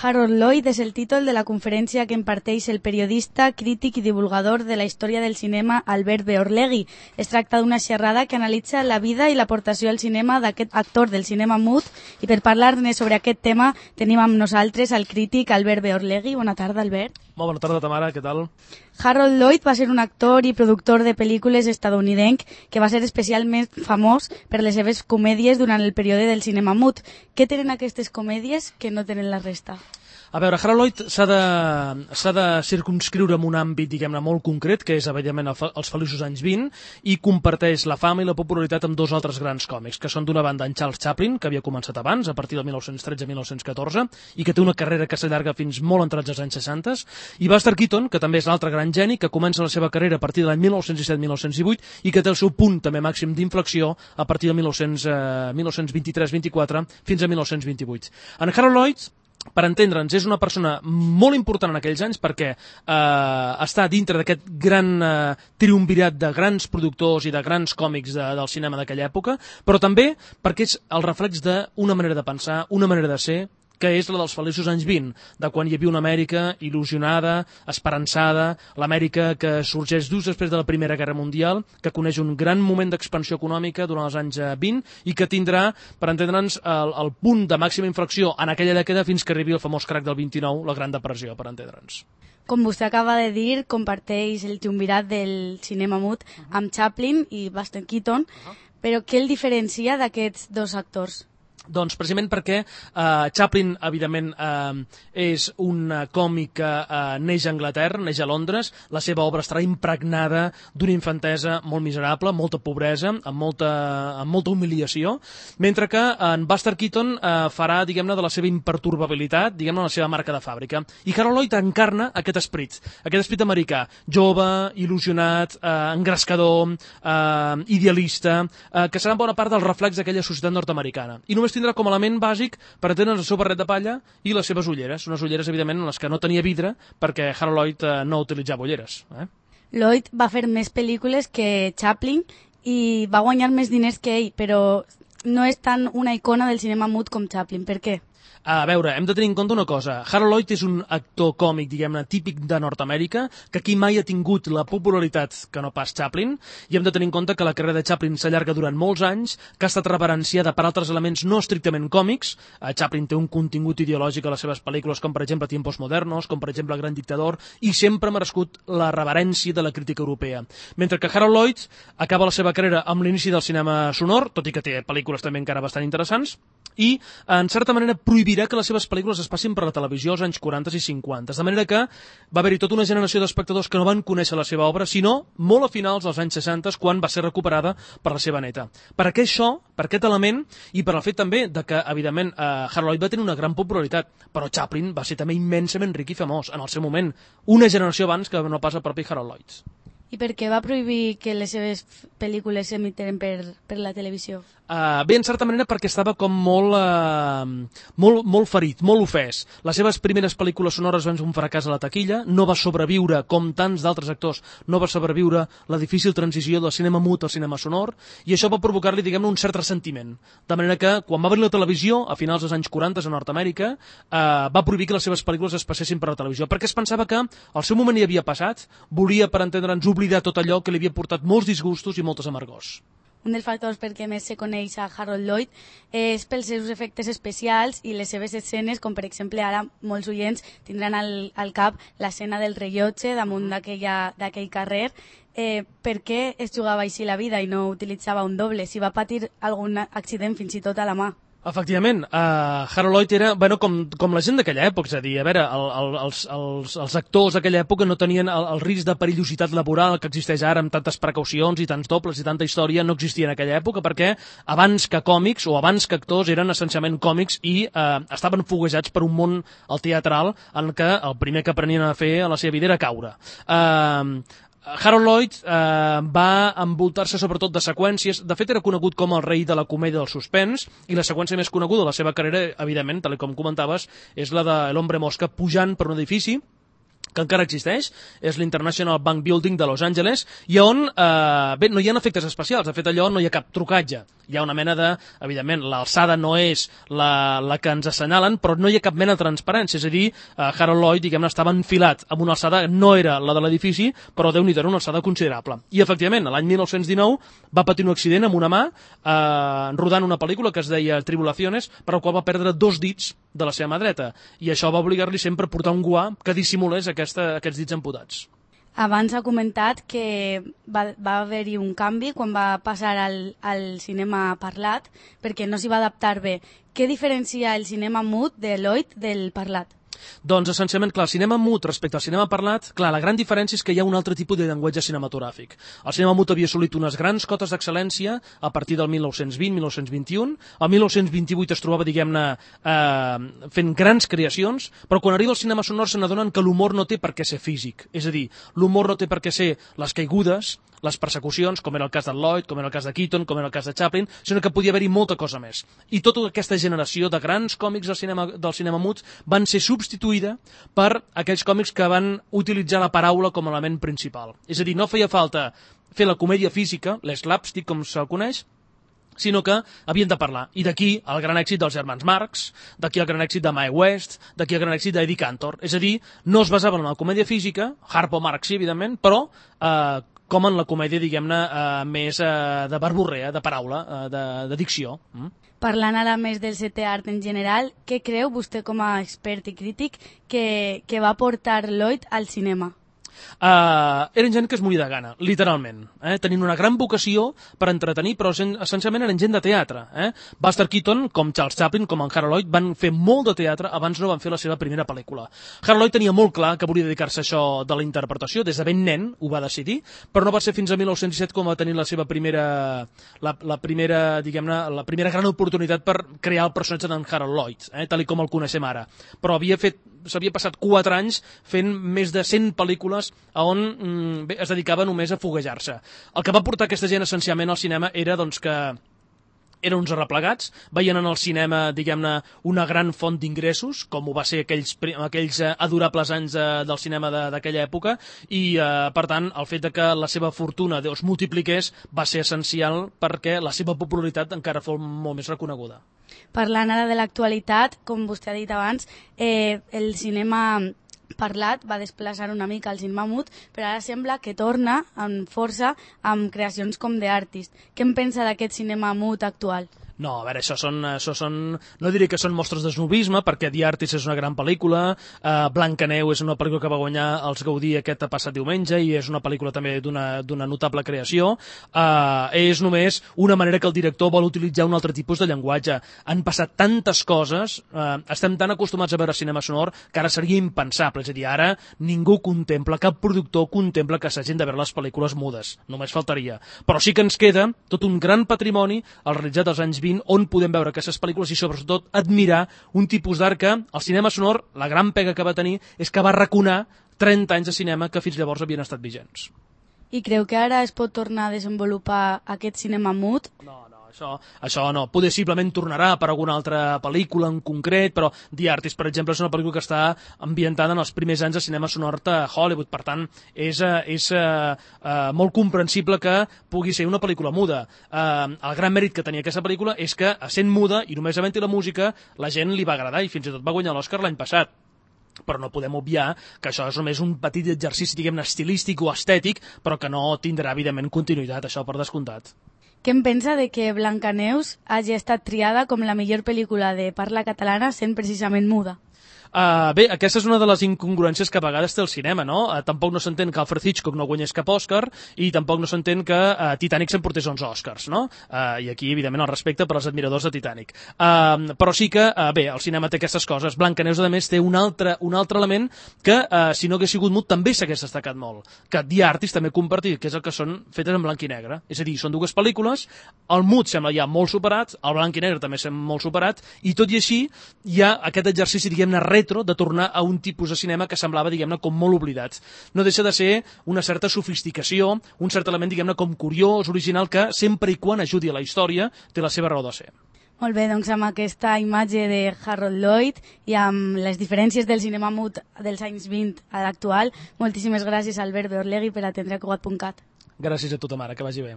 Harold Lloyd és el títol de la conferència que imparteix el periodista, crític i divulgador de la història del cinema Albert Beorlegui. Es tracta d'una xerrada que analitza la vida i l'aportació al cinema d'aquest actor del cinema mut, i per parlar-ne sobre aquest tema tenim amb nosaltres el crític Albert Beorlegui. Bona tarda, Albert. Molt bona tarda, Tamara, què tal? Harold Lloyd va ser un actor i productor de pel·lícules estadounidenc que va ser especialment famós per les seves comèdies durant el període del cinema mut. Què tenen aquestes comèdies que no tenen la resta? A veure, Harold Lloyd s'ha de circumscriure en un àmbit, diguem-ne, molt concret, que és, evidentment, els feliços anys 20, i comparteix la fama i la popularitat amb dos altres grans còmics, que són d'una banda en Charles Chaplin, que havia començat abans, a partir del 1913-1914, i que té una carrera que s'allarga fins molt entrats als anys 60, i Buster Keaton, que també és l'altre gran geni, que comença la seva carrera a partir de l'any 1917-1918 i que té el seu punt també màxim d'inflexió a partir del 1923-24 fins a 1928. En Harold Lloyd, per entendre'ns, és una persona molt important en aquells anys perquè està dintre d'aquest gran triumvirat de grans productors i de grans còmics del cinema d'aquella època, però també perquè és el reflex d'una manera de pensar, una manera de ser, que és la dels feliços anys 20, de quan hi havia una Amèrica il·lusionada, esperançada, l'Amèrica que sorgeix just després de la Primera Guerra Mundial, que coneix un gran moment d'expansió econòmica durant els anys 20 i que tindrà, per entendre'ns, el punt de màxima inflexió en aquella dècada fins que arribi el famós crac del 29, la Gran Depressió, per entendre'ns. Com vostè acaba de dir, comparteix el triumvirat del cinema mut amb Chaplin i Buster Keaton, però què el diferencia d'aquests dos actors? Doncs precisament perquè Chaplin, evidentment, és un còmic que neix a Anglaterra, neix a Londres, la seva obra estarà impregnada d'una infantesa molt miserable, molta pobresa, amb molta humiliació, mentre que en Buster Keaton farà, diguem-ne, de la seva imperturbabilitat, diguem-ne, la seva marca de fàbrica. I Harold Lloyd encarna aquest esperit americà, jove, il·lusionat, engrescador, idealista, que serà en bona part del reflex d'aquella societat nord-americana. I només tindrà com a element bàsic per entendre'ns el seu barret de palla i les seves ulleres, unes ulleres evidentment en les que no tenia vidre perquè Harold Lloyd no utilitzava ulleres. Lloyd va fer més pel·lícules que Chaplin i va guanyar més diners que ell, però no és tan una icona del cinema mut com Chaplin. Per què? A veure, hem de tenir en compte una cosa. Harold Lloyd és un actor còmic, diguem-ne, típic de Nord-Amèrica, que aquí mai ha tingut la popularitat que no pas Chaplin, i hem de tenir en compte que la carrera de Chaplin s'allarga durant molts anys, que ha estat reverenciada per altres elements no estrictament còmics. Chaplin té un contingut ideològic a les seves pel·lícules, com per exemple Tiempos Modernos, com per exemple El Gran Dictador, i sempre ha merescut la reverència de la crítica europea. Mentre que Harold Lloyd acaba la seva carrera amb l'inici del cinema sonor, tot i que té pel·lícules també encara bastant interessants, i, en certa manera, prohibirà que les seves pel·lícules es passin per la televisió als anys 40 i 50. De manera que va haver-hi tota una generació d'espectadors que no van conèixer la seva obra, sinó molt a finals dels anys 60, quan va ser recuperada per la seva neta. Per què això, per aquest element, i per el fet també de que, evidentment, Harold Lloyd va tenir una gran popularitat, però Chaplin va ser també immensament ric i famós en el seu moment, una generació abans que no pas el propi Harold Lloyd. I per què va prohibir que les seves pel·lícules s'emiteren per la televisió? Bé, en certa manera perquè estava com molt ferit, molt ofès. Les seves primeres pel·lícules sonores van ser un fracàs a la taquilla, no va sobreviure, com tants d'altres actors, no va sobreviure la difícil transició del cinema mut al cinema sonor, i això va provocar-li, diguem-ne, un cert ressentiment. De manera que, quan va venir la televisió, a finals dels anys 40 a Nord-Amèrica, va prohibir que les seves pel·lícules es passessin per la televisió, perquè es pensava que el seu moment hi havia passat, volia, per entendre'ns, oblidar tot allò que li havia portat molts disgustos i moltes amargors. Un dels factors per què més se coneix a Harold Lloyd és pels seus efectes especials i les seves escenes, com per exemple ara molts oients tindran al cap l'escena del rellotge damunt d'aquell carrer. Per què es jugava així la vida i no utilitzava un doble, si va patir algun accident fins i tot a la mà? Efectivament, Harold Lloyd era, bueno, com la gent d'aquella època, és a dir, a veure, els actors d'aquella època no tenien el risc de perillositat laboral que existeix ara amb tantes precaucions i tants dobles i tanta història, no existia en aquella època perquè abans que còmics o abans que actors eren essencialment còmics i estaven foguejats per un món al teatral en què el primer que aprenien a fer a la seva vida era caure. Harold Lloyd va envoltar-se sobretot de seqüències. De fet, era conegut com el rei de la comèdia del suspens, i la seqüència més coneguda de la seva carrera, evidentment, tal com comentaves, és la de l'Hombre Mosca pujant per un edifici que encara existeix, és l'International Bank Building de Los Angeles, i on, bé, no hi ha efectes especials, de fet allò no hi ha cap trucatge, Hi ha una mena de... Evidentment, l'alçada no és la que ens assenyalen, però no hi ha cap mena de transparència. És a dir, Harold Lloyd, diguem-ne, estava enfilat amb una alçada, no era la de l'edifici, però Déu-n'hi-do, era una alçada considerable. I, efectivament, l'any 1919 va patir un accident amb una mà, rodant una pel·lícula que es deia Tribulaciones, per la qual va perdre 2 dits de la seva mà dreta. I això va obligar-li sempre a portar un guà que dissimulés aquests dits amputats. Abans ha comentat que va haver-hi un canvi quan va passar al cinema parlat, perquè no s'hi va adaptar bé. Què diferencia el cinema mut de Lloyd del parlat? Doncs, essencialment, clar, el cinema mut respecte al cinema parlat, clar, la gran diferència és que hi ha un altre tipus de llenguatge cinematogràfic. El cinema mut havia assolit unes grans cotes d'excel·lència a partir del 1920-1921. El 1928 es trobava, diguem-ne, fent grans creacions, però quan arriba al cinema sonor se n'adonen que l'humor no té per què ser físic. És a dir, l'humor no té per què ser les caigudes, les persecucions, com era el cas de Lloyd, com era el cas de Keaton, com era el cas de Chaplin, sinó que podia haver-hi molta cosa més. I tota aquesta generació de grans còmics del cinema mut van ser substituïda per aquells còmics que van utilitzar la paraula com a element principal. És a dir, no feia falta fer la comèdia física, l'slapstick, com se'l coneix, sinó que havien de parlar. I d'aquí el gran èxit dels germans Marx, d'aquí el gran èxit de Mae West, d'aquí el gran èxit d'Eddie Cantor. És a dir, no es basaven en la comèdia física, Harpo Marx sí, evidentment, però com en la comèdia, diguem-ne, més de verborrea, de paraula, de dicció. Parlant ara més del setè art en general, què creu vostè com a expert i crític que va portar Lloyd al cinema? Eren gent que es moria de gana, literalment, tenint una gran vocació per entretenir, però essencialment eren gent de teatre. Buster Keaton, com Charles Chaplin, com en Harold Lloyd, van fer molt de teatre abans no van fer la seva primera pel·lícula. Harold Lloyd tenia molt clar que volia dedicar-se a això de la interpretació, des de ben nen ho va decidir, però no va ser fins a 1917 quan va tenir la seva primera diguem-ne, la primera gran oportunitat per crear el personatge d'en Harold Lloyd, tal com el coneixem ara. Però s'havia passat 4 anys fent més de 100 pel·lícules on es dedicava només a foguejar-se. El que va portar aquesta gent essencialment al cinema era doncs, que eren uns arreplegats, veien en el cinema, diguem-ne, una gran font d'ingressos, com ho va ser aquells adorables anys del cinema d'aquella època, i per tant el fet que la seva fortuna es multipliqués va ser essencial perquè la seva popularitat encara fos molt més reconeguda. Parlant ara de l'actualitat, com vostè ha dit abans, el cinema parlat va desplaçar una mica el cinema mut, però ara sembla que torna amb força amb creacions com The Artist. Què en pensa d'aquest cinema mut actual? No, a veure, això són, no diré que són mostres de snobisme, perquè The Artist és una gran pel·lícula, Blancaneu és una pel·lícula que va guanyar els Gaudí aquest passat diumenge i és una pel·lícula també d'una notable creació. És només una manera que el director vol utilitzar un altre tipus de llenguatge. Han passat tantes coses, estem tan acostumats a veure cinema sonor que ara seria impensable, és a dir, ara ningú contempla, cap productor contempla que s'hagin de veure les pel·lícules mudes, només faltaria. Però sí que ens queda tot un gran patrimoni, el realitzat als anys 20, on podem veure aquestes pel·lícules i sobretot admirar un tipus d'art que el cinema sonor, la gran pega que va tenir és que va arraconar 30 anys de cinema que fins llavors havien estat vigents. I creu que ara es pot tornar a desenvolupar aquest cinema mut? No, això no. Poder simplement tornarà per alguna altra pel·lícula en concret, però The Artist, per exemple, és una pel·lícula que està ambientada en els primers anys de cinema sonor de Hollywood, per tant, és molt comprensible que pugui ser una pel·lícula muda. El gran mèrit que tenia aquesta pel·lícula és que, sent muda i només havent-hi la música, la gent li va agradar i fins i tot va guanyar l'Oscar l'any passat. Però no podem obviar que això és només un petit exercici, diguem-ne, estilístic o estètic, però que no tindrà, evidentment, continuïtat, això per descomptat. Què en pensa de que Blancaneus hagi estat triada com la millor pel·lícula de parla catalana sent precisament muda? Bé, aquesta és una de les incongruències que a vegades té el cinema, no? Tampoc no s'entén que Alfred Hitchcock no guanyés cap Òscar i tampoc no s'entén que Titanic s'emportés 11 Òscars, no? I aquí, evidentment, el respecte per als admiradors de Titanic. Però sí que, bé, el cinema té aquestes coses. Blancaneus, a més, té un altre element que, si no hagués sigut mut, també s'hagués destacat molt. Que The Artist també compartit, que és el que són fetes en blanc i negre. És a dir, són dues pel·lícules, el mut sembla ja molt superat, el blanc i negre també sembla molt superat, i tot i així hi ha aquest exercici, diguem-ne, retro, de tornar a un tipus de cinema que semblava, diguem-ne, com molt oblidat. No deixa de ser una certa sofisticació, un cert element, diguem-ne, com curiós, original, que sempre i quan ajudi a la història té la seva raó de ser. Molt bé, doncs amb aquesta imatge de Harold Lloyd i amb les diferències del cinema mut dels anys 20 a l'actual, moltíssimes gràcies a Albert Beorlegui per atendre Cugat.cat. Gràcies a tu, Tamara, que vagi bé.